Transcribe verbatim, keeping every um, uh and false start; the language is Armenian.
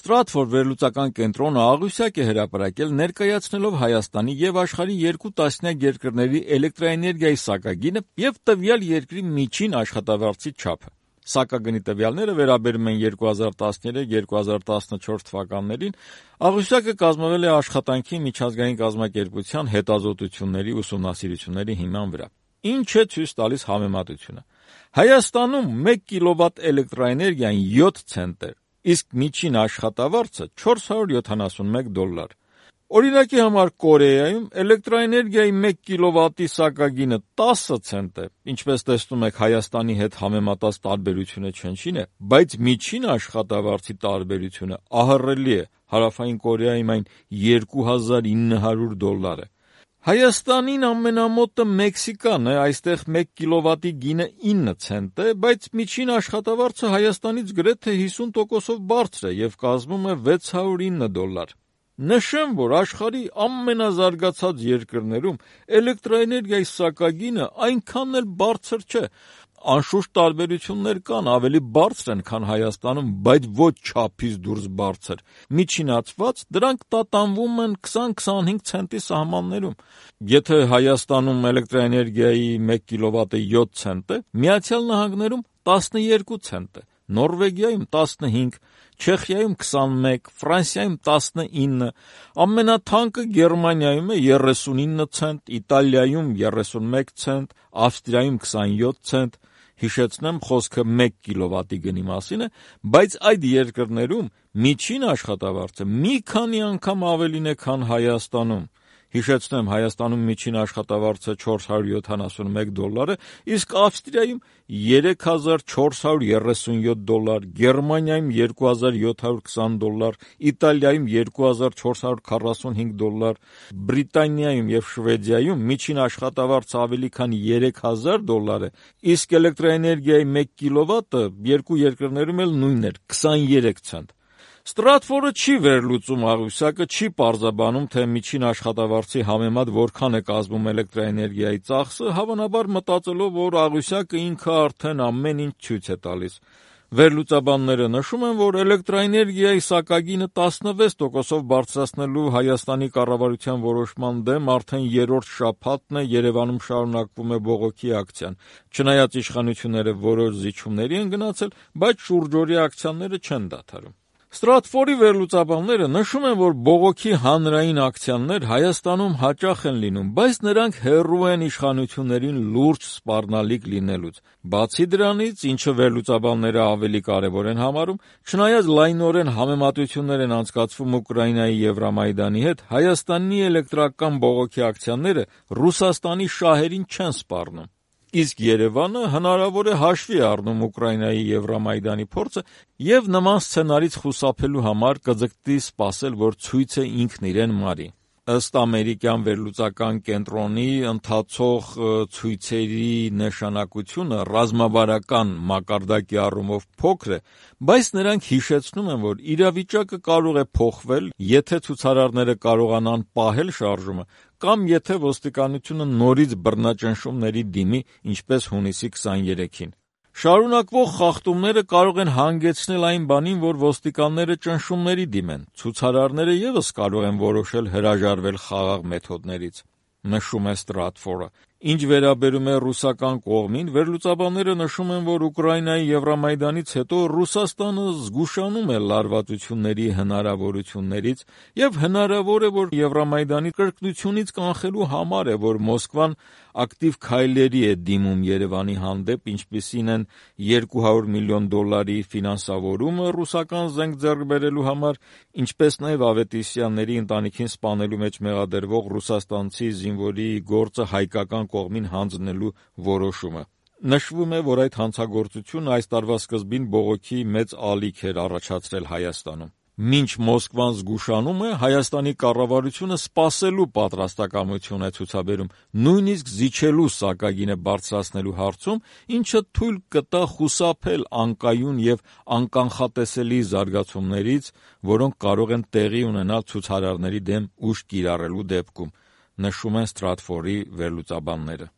Ստրատֆորդ վերլուծական կենտրոնը աղյուսակ է հրապարակել ներկայացնելով Հայաստանի եւ աշխարհի երկու տասնյակ երկրների էլեկտրաէներգիայի սակագինը եւ տվյալ երկրի միջին աշխատավարձի չափը։ Սակագնի տվյալները վերաբերում են երկու հազար տասներեք երկու հազար տասնչորս թվականներին, աղյուսակը կազմվել է Աշխատանքի միջազգային կազմակերպության հետազոտությունների ուսումնասիրությունների հիման վրա։ Ինչ է ցույց տալիս համեմատությունը։ Հայաստանում մեկ կիլովատ էլեկտրաէներգիան յոթ ցենտ է, իսկ միջին աշխատավարձը չորս հարյուր յոթանասունմեկ դոլար։ Օրինակի համար Կորեայում էլեկտրաէներգիայի մեկ կիլովատի սակագինը տասը ցենտ է, ինչպես տեսնում եք Հայաստանի հետ համեմատած տարբերությունը չնչին է, բայց միջին աշխատավարձի տարբերությունը ահռելի է, Հարավային Կորեայում այն երկու հազար ինը հարյուր դոլար է։ Հայաստանին ամենամոտը Մեքսիկան է, այստեղ մեկ կիլովատի գինը ինը ցենտ է, բայց միջին աշխատավարձը Հայաստանից գրեթե հիսուն տոկոսով բարձր է եւ կազմում է վեց հարյուր ինը դոլար։ Նշեմ, որ աշխարհի ամենազարգացած երկրներում էլեկտրաէներգիայի սակագինը այնքան էլ բարձր չէ։ Անշուշտ տարբերություններ կան, ավելի բարձր են, քան Հայաստանում, բայց ոչ չափից դուրս բարձր։ Միջինացված դրանք տատանվում են քսան-քսանհինգ ցենտի սահմաններում։ Եթե Հայաստանում էլեկտրաէներգիայի մեկ կիլովատը յոթ ցենտ է, Միացյալ Նահանգներում տասնյոթ ցենտ է, Նորվեգիայում տասնհինգ, Չեխիայում քսանմեկ, Ֆրանսիայում տասնինը, ամենաթանկը Գերմանիայում է երեսունինը ցենտ, Իտալիայում երեսունմեկ ցենտ, Ավստրիայում քսանյոթ ցենտ։ Հիշեցնեմ, խոսքը մեկ կիլովատի գնի մասին է, բայց այդ երկրներում միջին աշխատավարձը մի քանի անգամ ավելին է, քան Հայաստանում։ Հիշեցնեմ, Հայաստանում միջին աշխատավարձը չորս հարյուր յոթանասունմեկ դոլար է, իսկ Ավստրիայում երեք հազար չորս հարյուր երեսունյոթ դոլար, Գերմանիայում երկու հազար յոթ հարյուր քսան դոլար, Իտալիայում երկու հազար չորս հարյուր քառասունհինգ դոլար, Բրիտանիայում եւ Շվեդիայում միջին աշխատավարձը ավելի քան երեք հազար դոլար է, իսկ էլեկտրաէներգիայի մեկ կիլովատը երկու երկրներում էլ նույնն էր՝ քսաներեք ցենտ։ Ստրատֆորդը չի վերլուծում աղյուսակը, չի պարզաբանում, թե միջին աշխատավարձի համեմատ որքան է կազմում էլեկտրաէներգիայի ծախսը, հավանաբար մտածելով, որ աղյուսակը ինքը արդեն ամեն ինչ ցույց է տալիս։ Վերլուծաբանները նշում են, որ էլեկտրաէներգիայի սակագինը տասնվեց տոկոսով բարձրացնելու Հայաստանի կառավարության որոշման դեմ արդեն երրորդ շաբաթն է Երևանում շարունակվում է բողոքի ակցիան։ Չնայած իշխանությունները որոշ զիջումների են գնացել, բայց շուրջօրյա ակցիաները չեն դադարում։ Ստրատֆորդի վերլուծաբանները նշում են, որ բողոքի հանրային ակցիաներ Հայաստանում հաճախ են լինում, բայց նրանք հեռու են իշխանություններին լուրջ սպառնալիք լինելուց։ Բացի դրանից, ինչը վերլուծաբանները ավելի կարևոր են համարում, չնայած լայնորեն համեմատություններ են անցկացվում Ուկրաինայի Եվրամայդանի հետ, Հայաստանի էլեկտրական բողոքի ակցիաները Ռուսաստանի շահերին չեն սպառնում։ Իսկ Երևանը հնարավոր է հաշվի առնում Ուկրաինայի Եվրամայդանի փորձը եւ նման սցենարից խուսափելու համար կձգտի սպասել, որ ցույցը ինքն իրեն մարի։ Ըստ ամերիկյան վերլուծական կենտրոնի ընթացող ցույցերի նշանակությունը ռազմավարական մակարդակի առումով փոքր է, բայց նրանք հիշեցնում են, որ իրավիճակը կարող է փոխվել, եթե ցուցարարները կարողանան պահել շարժումը, կամ եթե ոստիկանությունը նորից բռնաճնշումների դիմի, ինչպես հունիսի քսաներեքին։ Շարունակվող խախտումները կարող են հանգեցնել այն բանին, որ ոստիկանները ճնշումների դիմեն, ցուցարարները ևս կարող են որոշել հրաժարվել խաղաղ մեթոդներից, նշում է Ստրատֆորդը։ Ինչ վերաբերում է ռուսական կողմին, վերլուծաբանները նշում են, որ Ուկրաինայի Եվրամայդանից հետո Ռուսաստանը զգուշանում է լարվածությունների հնարավորություններից եւ հնարավոր է, որ Եվրամայդանի կրկնությունից կանխելու համար է, որ Մոսկվան ակտիվ քայլերի է դիմում Երևանի հանդեպ, ինչպիսին են երկու հարյուր միլիոն դոլարի ֆինանսավորումը ռուսական զենք ձեռք բերելու համար, ինչպես նաեւ Ավետիսյանների ընտանիքին սպանելու մեջ մեղադրվող ռուսաստանցի զինվորի գործը հայկական կողմին հանձնելու որոշումը։ Նշվում է, որ այդ հանցագործությունը այս տարվա սկզբին բողոքի մեծ ալիք էր առաջացրել Հայաստանում։ Մինչ Մոսկվան զգուշանում է, Հայաստանի կառավարությունը սպասելու պատրաստակամություն է ցուցաբերում, նույնիսկ զիջելու սակագինը բարձրացնելու հարցում, ինչը թույլ կտա խուսափել անկայուն եւ անկանխատեսելի զարգացումներից, որոնք կարող են տեղի ունենալ ցուցարարների դեմ ուժ կիրառելու դեպքում, նշում են Ստրատֆորդի վերլուծաբանները։